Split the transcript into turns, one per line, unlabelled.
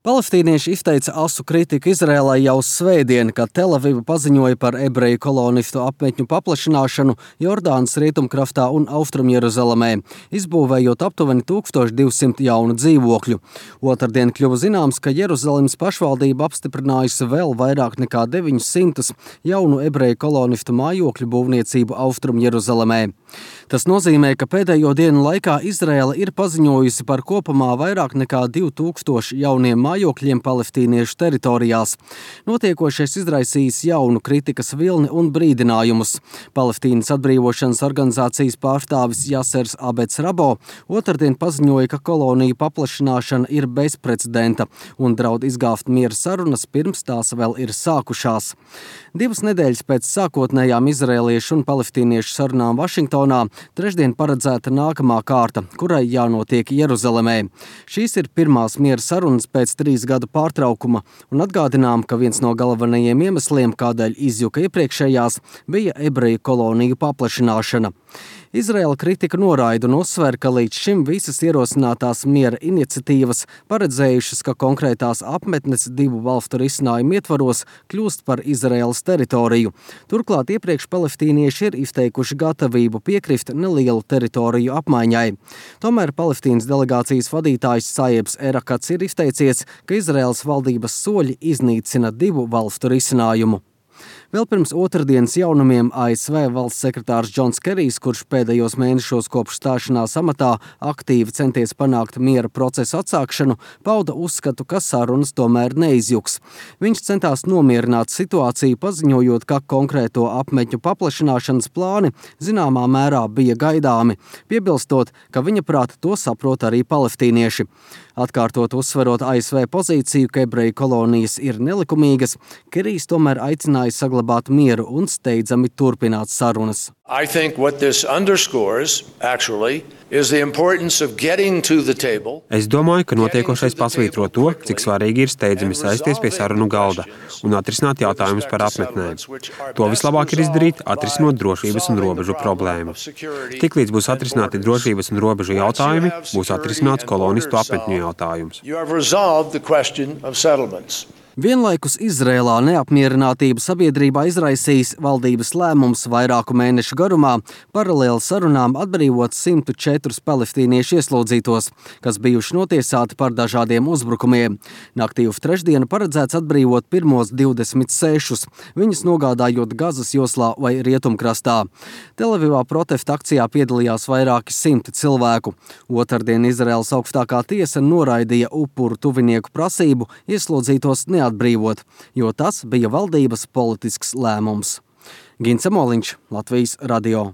Palestīnieši izteica asu kritiku Izrēlai jau svētdien, kad Telaviva paziņoja par ebreju kolonistu apmetņu paplašināšanu Jordānas rietumkraftā un Austrumjeruzalemē, izbūvējot aptuveni 1200 jaunu dzīvokļu. Otrdien kļuva zināms, ka Jeruzalemes pašvaldība apstiprinājusi vēl vairāk nekā 900 jaunu ebreju kolonistu mājokļu būvniecību Austrumjeruzalemē. Tas nozīmē, ka pēdējo dienu laikā Izrēla ir paziņojusi par kopumā vairāk nekā 2000 jauniem mājokļiem palestīniešu teritorijās. Notiekošais izraisījis jaunu kritikas vilni un brīdinājumus. Palestīnas atbrīvošanas organizācijas pārstāvis Jasers Abets Rabo otrdien paziņoja, ka koloniju paplašināšana ir bezprecedenta un draud izgāzt miera sarunas pirms tās vēl ir sākušās. 2 nedēļas pēc sākotnējām izrēliešu un palestīniešu sarunām Vašingtonā trešdien paredzēta nākamā kārta, kurai jānotiek Jeruzalemē. Šīs ir pirmās miera sarunas pēc 3 gadu pārtraukuma, un atgādinām, ka viens no galvenajiem iemesliem, kādēļ izjuka iepriekšējās, bija ebreju koloniju paplašināšana. Izraela kritika noraida un uzsver, ka līdz šim visas ierosinātās miera iniciatīvas paredzējušas, ka konkrētās apmetnes 2 valstu risinājumu ietvaros kļūst par Izraēlas teritoriju. Turklāt iepriekš palestīnieši ir izteikuši gatavību piekrist nelielu teritoriju apmaiņai. Tomēr Palestīnas delegācijas vadītājs Sajebs Erakats ir izteicies, ka Izraēlas valdības soļi iznīcina 2 valstu risinājumu. Vēl pirms otrdienas jaunumiem ASV valsts sekretārs Džons Kerijs, kurš pēdējos mēnešos kopš stāšanās amatā aktīvi centies panākt miera procesu atsākšanu, pauda uzskatu, ka sarunas tomēr neizjuks. Viņš centās nomierināt situāciju, paziņojot, ka konkrēto apmetņu paplašināšanas plāni zināmā mērā bija gaidāmi, piebilstot, ka viņa prāta to saprot arī palestīnieši. Atkārtot uzsverot ASV pozīciju, ka ebreju kolonijas ir nelikumīgas, Kerijs tomēr aicināja saglabāt mieru un steidzami turpināt sarunas.
I think what this underscores, actually, is the importance of getting to the table.
Es domāju, ka notiekošais pasvītro to, cik svarīgi ir steidzami sēsties pie sarunu galda un atrisināt jautājumus par apmetnēm. To vislabāk ir izdarīt, atrisinot drošības un robežu problēmu. Tiklīdz būs atrisināti drošības un robežu jautājumi, būs atrisināts kolonistu apmetņu jautājums.
Vienlaikus Izrēlā neapmierinātību sabiedrībā izraisījis valdības lēmums vairāku mēnešu garumā paralēli sarunām atbrīvot 104 palestīniešu ieslodzītos, kas bijuši notiesāti par dažādiem uzbrukumiem. Naktī uz trešdienu paredzēts atbrīvot pirmos 26, viņus nogādājot Gazas joslā vai Rietumkrastā. Telavivā protesta akcijā piedalījās vairāki 100 cilvēku. Otrdien Izraēlas augstākā tiesa noraidīja upuru tuvinieku prasību ieslodzītos neatbrīvot, jo tas bija valdības politisks lēmums. Gins Amoliņš, Latvijas radio.